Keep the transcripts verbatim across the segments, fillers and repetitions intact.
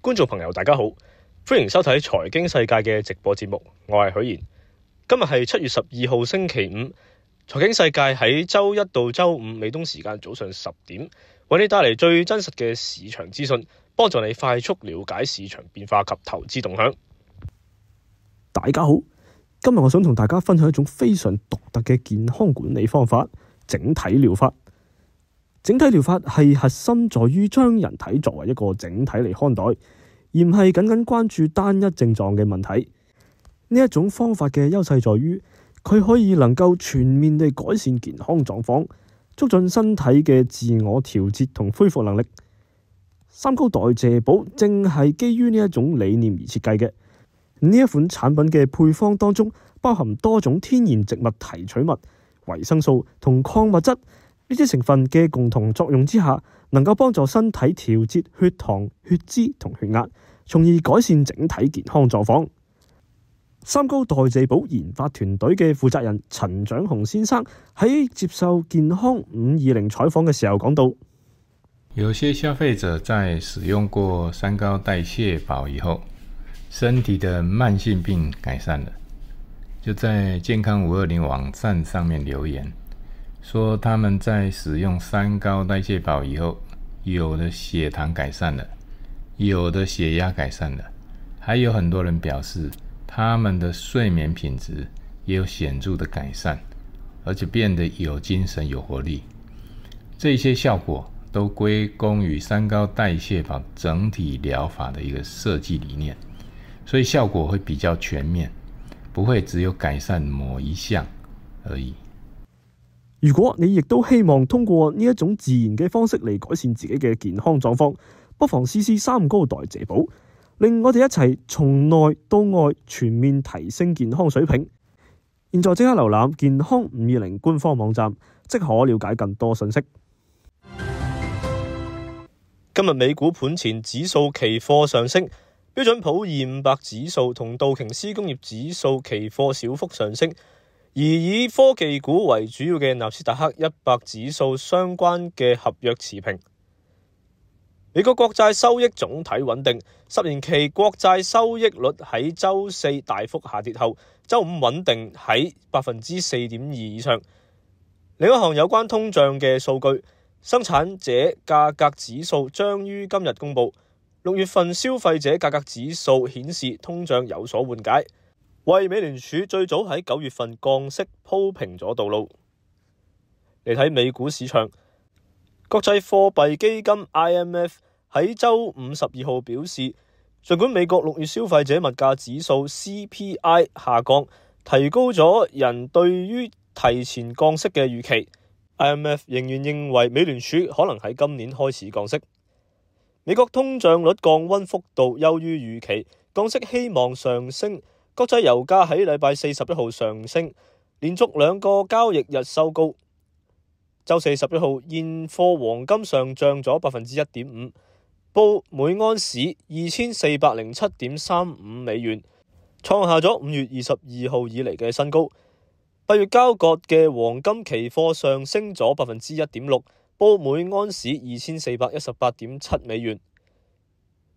觀眾朋友大家好，歡迎收睇財經世界嘅直播節目，我係許賢。今日係七月十二號星期五，財經世界喺周一到周五美東時間早上十點，為你帶嚟最真實嘅市場資訊，幫助你快速了解市場變化及投資動向。大家好，今日我想同大家分享一種非常獨特嘅健康管理方法——整體療法。整體療法係核心在於將人體作為一個整體嚟看待，而唔係僅僅關注單一症狀嘅問題。呢一種方法嘅優勢在於，佢可以能夠全面地改善健康狀況，促進身體嘅自我調節同恢復能力。三高代謝寶正係基於呢一種理念而設計嘅。呢一款產品嘅配方當中包含多種天然植物提取物、維生素同礦物質。呢啲成分嘅共同作用之下，能夠幫助身體調節血糖、血脂同血壓，從而改善整體健康狀況。三高代謝寶研發團隊嘅負責人陳長雄先生喺接受健康五二零採訪嘅時候講到，有些消費者在使用過三高代謝寶以後，身體的慢性病改善了，就在健康五二零網站上面留言說他們在使用三高代謝寶以後，有的血糖改善了，有的血壓改善了，還有很多人表示他們的睡眠品質也有顯著的改善，而且變得有精神有活力。這些效果都歸功於三高代謝寶整體療法的一個設計理念，所以效果會比較全面，不會只有改善某一項而已。如果你亦都希望通過呢一種自然嘅方式嚟改善自己嘅健康狀況，不妨試試三高代謝寶，令我哋一齊從內到外全面提升健康水平。現在即刻瀏覽健康五二零官方網站，即可了解更多信息。今日美股盤前指數期貨上升，標準普爾五百指數同道瓊斯工業指數期貨小幅上升。而以科技股為主要嘅納斯達克一百指數相關嘅合約持平。美國國債收益總體穩定，十年期國債收益率喺周四大幅下跌後，周五穩定喺百分之四點二以上。另一項有關通脹嘅數據，生產者價格指數將於今日公佈，六月份消費者價格指數顯示通脹有所緩解，為美聯儲最早喺九月份降息鋪平咗道路。嚟睇美股市場，國際貨幣基金 I M F 喺周五十二號表示，儘管美國六月消費者物價指數 C P I 下降，提高咗人對於提前降息嘅預期， I M F 仍然認為美聯儲可能喺今年開始降息。美國通脹率降溫幅度優於預期，降息希望上升。國際油價喺禮拜四十一號上升，連續兩個交易日收高。周四十一號現貨黃金上漲咗百分之一點五，報每盎司二千四百零七點三五美元，創下咗五月二十二號以嚟嘅新高。八月交割嘅黃金期貨上升咗百分之一點六，報每盎司二千四百一十八點七美元。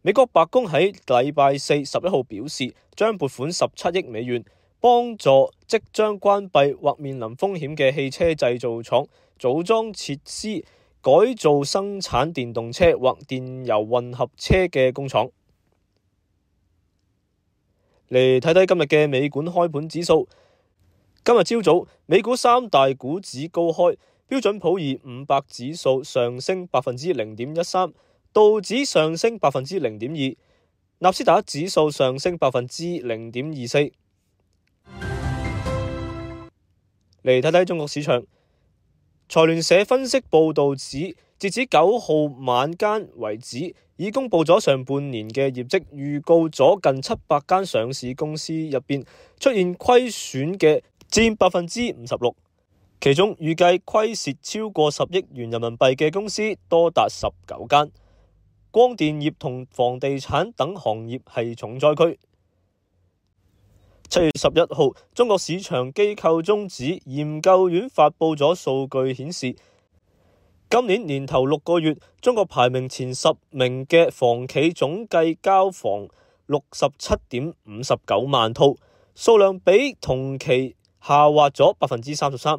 美國白宮喺禮拜四十一號表示，將撥款十七億美元，幫助即將關閉或面臨風險嘅汽車製造廠組裝設施，改造生產電動車或電油混合車嘅工廠。嚟睇睇今日嘅美股開盤指數。今日朝早，美股三大股指高開，標準普爾五百指數上升百分之零點一三。道指上升百分之零點二，納斯達克指數上升百分之零點二四。嚟睇睇中國市場，財聯社分析報道指，截至九號晚間為止，已公布咗上半年嘅業績，預告咗近七百間上市公司入邊出現虧損嘅佔百分之五十六，其中預計虧蝕超過十億元人民幣嘅公司多達十九間。光電業同房地產等行業係重災區。七月十一號，中國市場機構中指研究院發佈咗數據顯示，今年年頭六個月，中國排名前十名嘅房企總計交房六十七點五十九萬套，數量比同期下滑咗百分之三十三。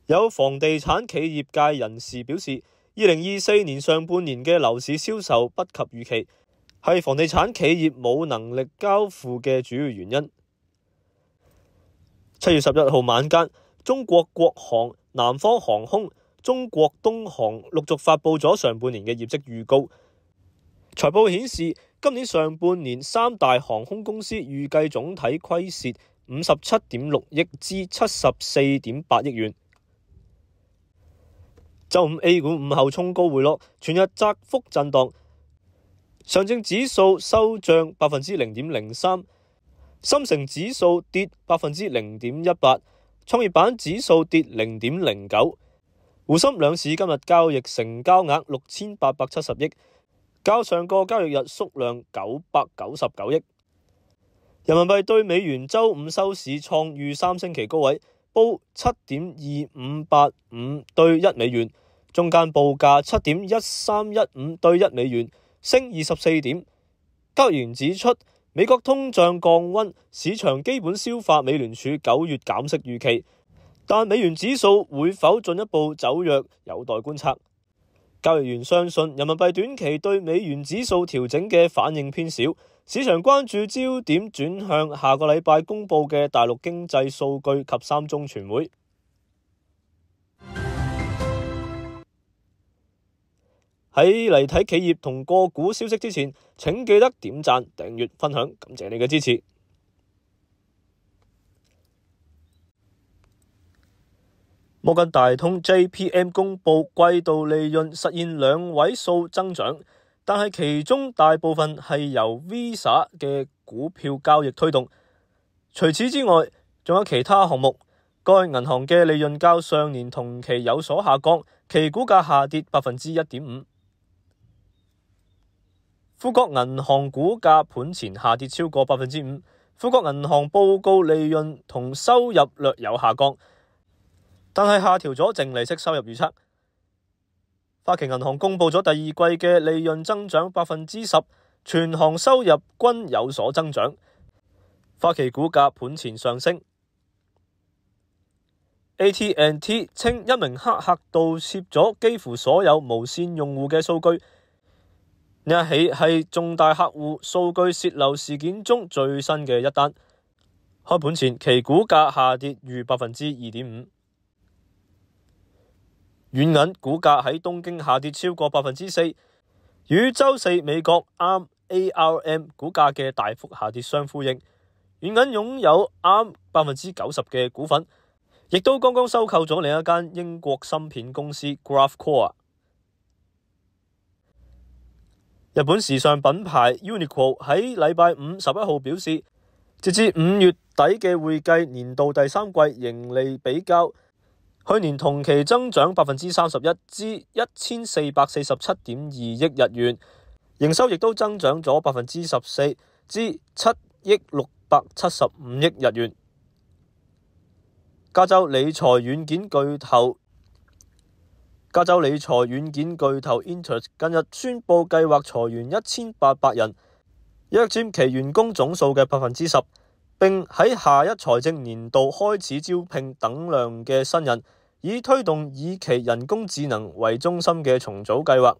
有房地產企業界人士表示，二零二四年上半年嘅樓市銷售不及預期，係房地產企業冇能力交付嘅主要原因。七月十一號晚間，中國國航、南方航空、中國東航陸續發布咗上半年嘅業績預告。財報顯示，今年上半年三大航空公司預計總體虧蝕五十七點六億至七十四點八億元。周五 A 股午後衝高回落，全日窄幅震盪，上證指數收漲百分之零點零三，深成指數跌百分之零點一八，創業板指數跌零點零九。滬深兩市今日交易成交額六千八百七十億，較上個交易日縮量九百九十九億。人民幣對美元周五收市創逾三星期高位，報七點二五八五對一美元，中間報價七點一三一五對一美元，升二十四點。交易員指出，美國通脹降溫，市場基本消化美聯儲九月減息預期。但美元指數會否進一步走弱，有待觀察。交易員相信人民幣短期對美元指數調整嘅反應偏少，市場關注焦點轉向下個禮拜公佈嘅大陸經濟數據及三中全會。喺嚟睇企業同個股消息之前，請記得點讚、訂閱、分享，感謝你嘅支持。摩根大通 J P M 公佈季度利潤實現兩位數增長，但係其中大部分係由 Visa 嘅股票交易推動。除此之外，仲有其他項目。該銀行嘅利潤較上年同期有所下降，其股價下跌百分之一點五。富國銀行股價盤前下跌超過百分之五。富國銀行報告利潤同收入略有下降，但係下調咗淨利息收入預測。花旗銀行公佈咗第二季嘅利潤增長百分之十，全行收入均有所增長。花旗股價盤前上升。A T and T 稱一名黑客盜竊咗幾乎所有無線用戶嘅數據，呢一起係重大客戶數據洩漏事件中最新嘅一單。開盤前其股價下跌逾百分之二點五。軟銀股價喺東京下跌超過百分之四，與周四美國 A R M A R M 股價嘅大幅下跌相呼應。軟銀擁有 A R M 百分之九十嘅股份，亦都剛剛收購咗另一間英國芯片公司 Graphcore。日本時尚品牌 Uniqlo 喺禮拜五十一號表示，截至五月底嘅會計年度第三季盈利比較去年同期增長百分之三十一至一千四百四十七點二億日元，營收亦都增長咗百分之十四至七億六百七十五億日元。加州理財軟件巨頭加州理財軟件巨頭 Intuit 近日宣布計劃裁員一千八百人，約佔其員工總數嘅百分之十，並喺下一財政年度開始招聘等量嘅新人，以推動以其人工智能為中心嘅重組計劃。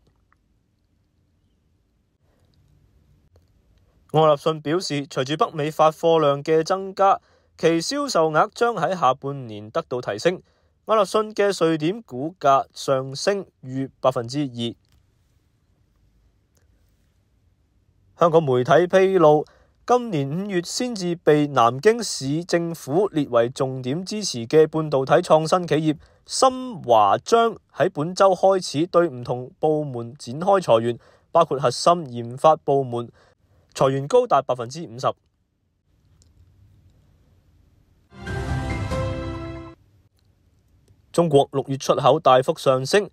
愛立信表示，隨住北美發貨量嘅增加，其銷售額將喺下半年得到提升。愛立信嘅瑞典股價上升逾百分之二。香港媒體披露，今年五月先至被南京市政府列為重點支持嘅半導體創新企業深華將喺本週開始對唔同部門展開裁員，包括核心研發部門，裁員高達百分之五十。中國六月出口大幅上升，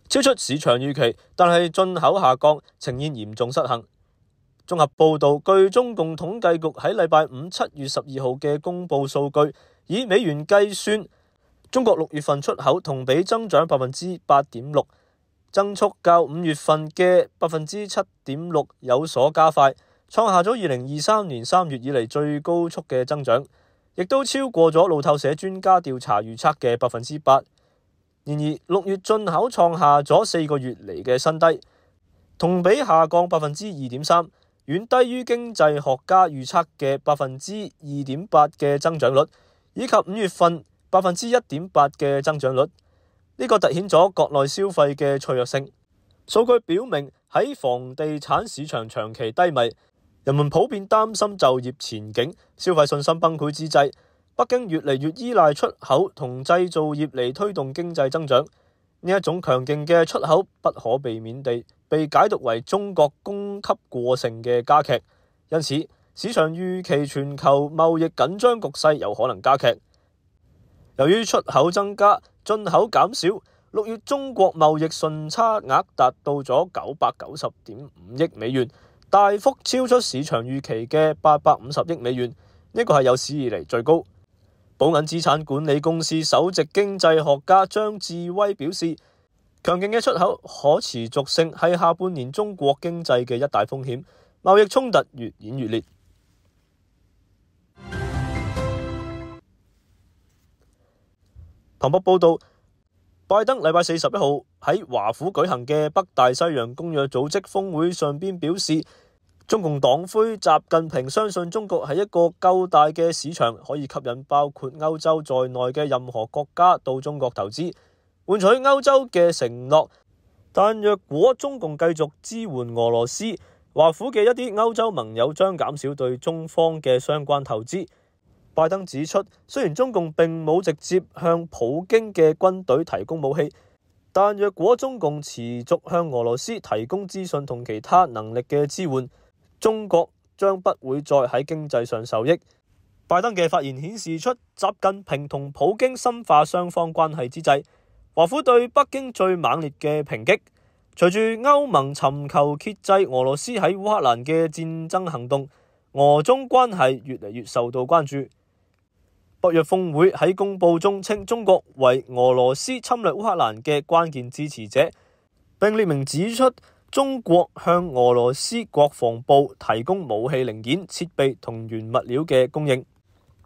超出市場預期，但係進口下降，呈現嚴重失衡。綜合報導，據中共統計局喺禮拜五七月十二號嘅公佈數據，以美元計算，中國六月份出口同比增長百分之八點六，增速較五月份嘅百分之七點六有所加快，創下咗二零二三年三月以嚟最高速嘅增長，亦都超過咗路透社專家調查預測嘅百分之八。然而六月進口創下咗四個月嚟嘅新低，同比下降百分之二點三，遠低於經濟學家預測嘅百分之二點八嘅增長率，以及五月份百分之一點八嘅增長率。呢個凸顯咗國內消費嘅脆弱性。數據表明，喺房地產市場長期低迷，人們普遍擔心就業前景、消費信心崩潰之際，北京越嚟越依賴出口同製造業嚟推動經濟增長。呢一種強勁嘅出口不可避免地被解讀為中國供給過剩嘅加劇，因此市場預期全球貿易緊張局勢有可能加劇。由於出口增加，進口減少，六月中國貿易順差額達到咗九百九十點五億美元，大幅超出市場預期嘅八百五十億美元，呢個係有史以嚟最高。寶銀資產管理公司首席經濟學家張志威表示，強勁嘅出口可持續性係下半年中國經濟嘅一大風險，貿易衝突越演越烈。彭博報道，拜登禮拜四十一號喺華府舉行嘅北大西洋公約組織峰會上邊表示，中共黨魁習近平相信中國係一個夠大嘅市場，可以吸引包括歐洲在內嘅任何國家到中國投資，換取歐洲嘅承諾。但若果中共繼續支援俄羅斯，華府嘅一啲歐洲盟友將減少對中方嘅相關投資。拜登指出，雖然中共並冇直接向普京嘅軍隊提供武器，但若果中共持續向俄羅斯提供資訊同其他能力嘅支援，中國將不會再喺經濟上受益。拜登嘅發言顯示出習近平同普京深化雙方關係之際，華府對北京最猛烈嘅抨擊。隨住歐盟尋求遏制俄羅斯喺烏克蘭嘅戰爭行動，俄中關係越嚟越受到關注。北約峰會喺公報中稱中國為俄羅斯侵略烏克蘭嘅關鍵支持者，並列明指出中國向俄羅斯國防部提供武器零件、設備同原物料嘅供應。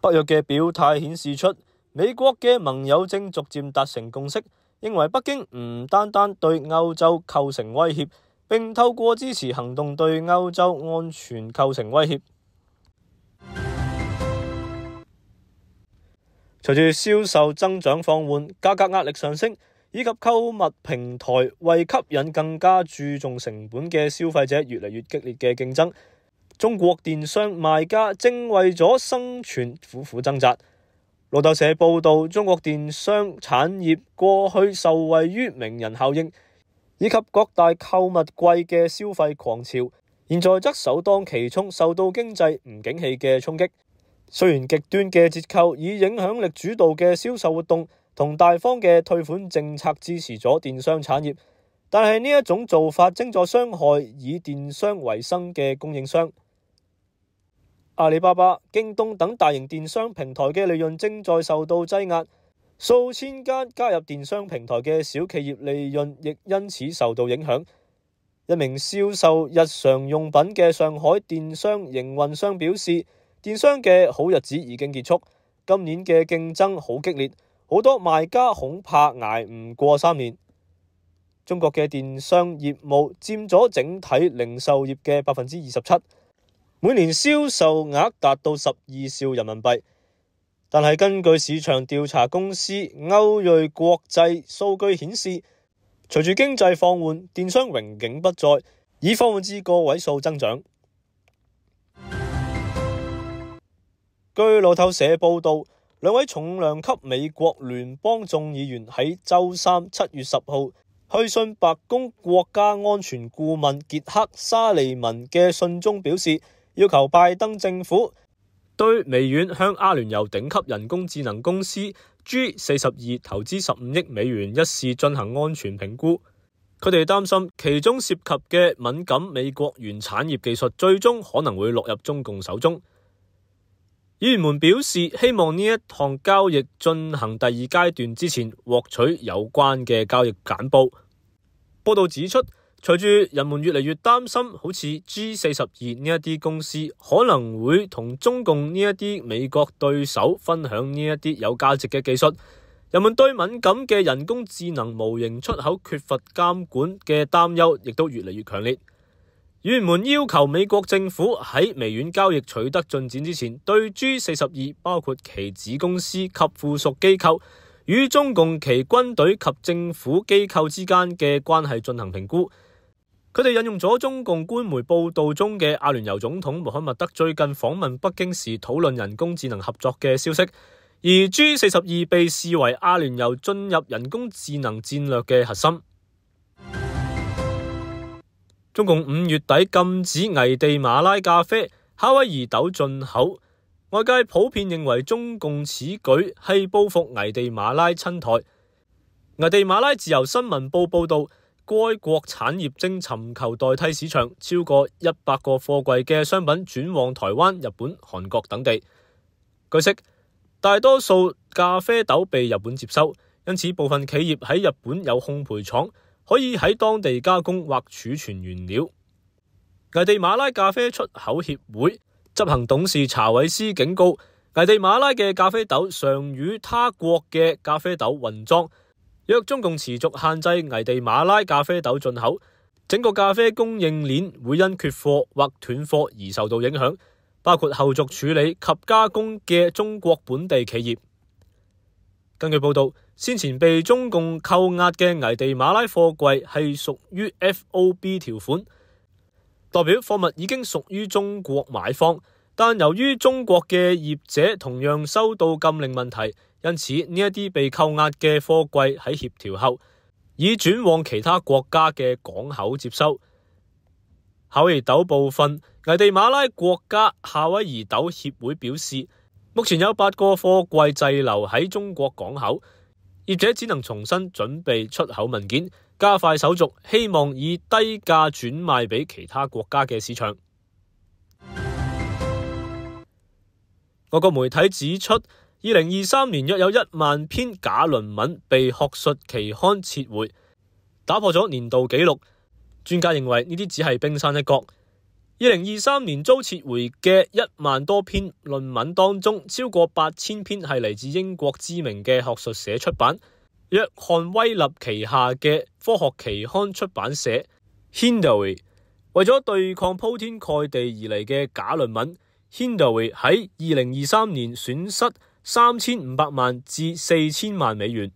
北約嘅表態顯示出美國嘅盟友正逐漸達成共識，認為北京唔單單對歐洲構成威脅，並透過支持行動對歐洲安全構成威脅。隨住銷售增長放緩、價格壓力上升，以及購物平台為吸引更加注重成本嘅消費者越嚟越激烈嘅競爭，中國電商賣家正為咗生存苦苦掙扎。路透社報道，中國電商產業過去受惠於名人效應以及各大購物季嘅消費狂潮，現在則首當其衝，受到經濟唔景氣嘅衝擊。雖然極端嘅折扣、以影響力主導嘅銷售活動同大方嘅退款政策支持咗電商產業，但係呢一種做法正在傷害以電商為生嘅供應商。阿里巴巴、京東等大型電商平台嘅利潤正在受到擠壓，數千間加入電商平台嘅小企業利潤亦因此受到影響。一名銷售日常用品嘅上海電商營運商表示，電商嘅好日子已經結束，今年嘅競爭好激烈，好多賣家恐怕捱唔過三年。中國嘅電商業務佔咗整體零售業嘅百分之二十七，每年銷售額達到十二兆人民幣。但係根據市場調查公司歐瑞國際數據顯示，隨住經濟放緩，電商榮景不再，已放緩至個位數增長。據路透社報道，兩位重量級美國聯邦眾議員喺周三七月十號去信白宮國家安全顧問傑克沙利文嘅信中表示，要求拜登政府對微軟向阿聯酋頂級人工智能公司 G 四十二投資十五億美元一事進行安全評估。佢哋擔心其中涉及嘅敏感美國原產業技術最終可能會落入中共手中。議員們表示，希望呢一項交易進行第二階段之前獲取有關嘅交易簡報。報道指出，隨住人們越嚟越擔心，好似 G 四十二呢一啲公司可能會同中共呢一啲美國對手分享呢一啲有價值嘅技術，人們對敏感嘅人工智能模型出口缺乏監管嘅擔憂亦都越嚟越強烈。議員們要求美國政府喺微軟交易取得進展之前，對 G 四十二包括其子公司及附屬機構與中共其軍隊及政府機構之間嘅關係進行評估。佢哋引用咗中共官媒報道中嘅阿聯酋總統穆罕默德最近訪問北京時討論人工智能合作嘅消息，而 G 四十二被視為阿聯酋進入人工智能戰略嘅核心。中共五月底禁止危地馬拉咖啡、夏威夷豆進口，外界普遍認為中共此舉係報復危地馬拉侵台。危地馬拉自由新聞報報道，該國產業正尋求代替市場，超過一百個貨櫃嘅商品轉往台灣、日本、韓國等地。據悉，大多數咖啡豆被日本接收，因此部分企業喺日本有烘焙廠，可以喺當地加工或儲存原料。危地馬拉咖啡出口協會執行董事查韋斯警告，危地馬拉嘅咖啡豆常與他國嘅咖啡豆混裝，若中共持續限制危地馬拉咖啡豆進口，整個咖啡供應鏈會因缺貨或斷貨而受到影響，包括後續處理及加工嘅中國本地企業。根據報道，先前被中共扣押嘅危地馬拉貨櫃係屬於 F O B 條款，代表貨物已經屬於中國買方，但由於中國嘅業者同樣收到禁令問題，因此呢一啲被扣押嘅貨櫃喺協調後，已轉往其他國家嘅港口接收。夏威夷豆部分，危地馬拉國家夏威夷豆協會表示，目前有八個貨櫃滯留喺中國港口，業者只能重新準備出口文件，加快手續，希望以低價轉賣俾其他國家嘅市場。外國媒體指出，二零二三年約有一萬篇假論文被學術期刊撤回，打破咗年度紀錄。專家認為呢啲只係冰山一角。二零二三年遭撤回嘅一萬多篇論文當中，超過八千篇係嚟自英國知名嘅學術社出版。約翰威立旗下嘅科學期刊出版社 Hindawi 為咗對抗鋪天蓋地而嚟嘅假論文， Hindawi 喺二零二三年損失三千五百萬至四千萬美元。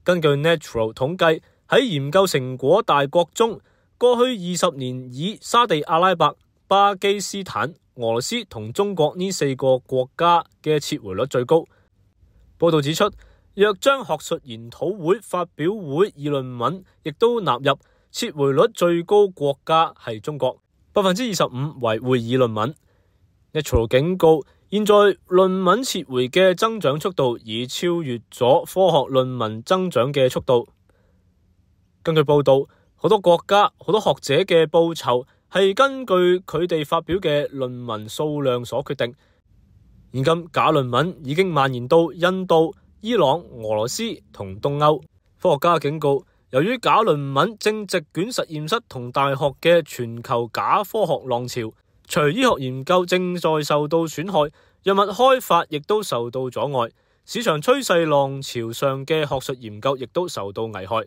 根據 Nature 統計，喺研究成果大國中，過去二十年以沙地阿拉伯、巴基斯坦、俄羅斯同中國呢四個國家嘅撤回率最高。報道指出，若將學術研討會、發表會、議論文亦都納入，撤回率最高國家係中國，百分之二十五為會議論文。Nature 警告，現在論文撤回嘅增長速度已超越咗科學論文增長嘅速度。根據報道，好多國家、好多學者嘅報酬係根據佢哋發表嘅論文數量所決定。現今假論文已經蔓延到印度、伊朗、俄羅斯同東歐。科學家警告，由於假論文正席捲實驗室同大學嘅全球假科學浪潮，除醫學研究正在受到損害，藥物開發亦都受到阻礙，市場趨勢浪潮上嘅學術研究亦都受到危害。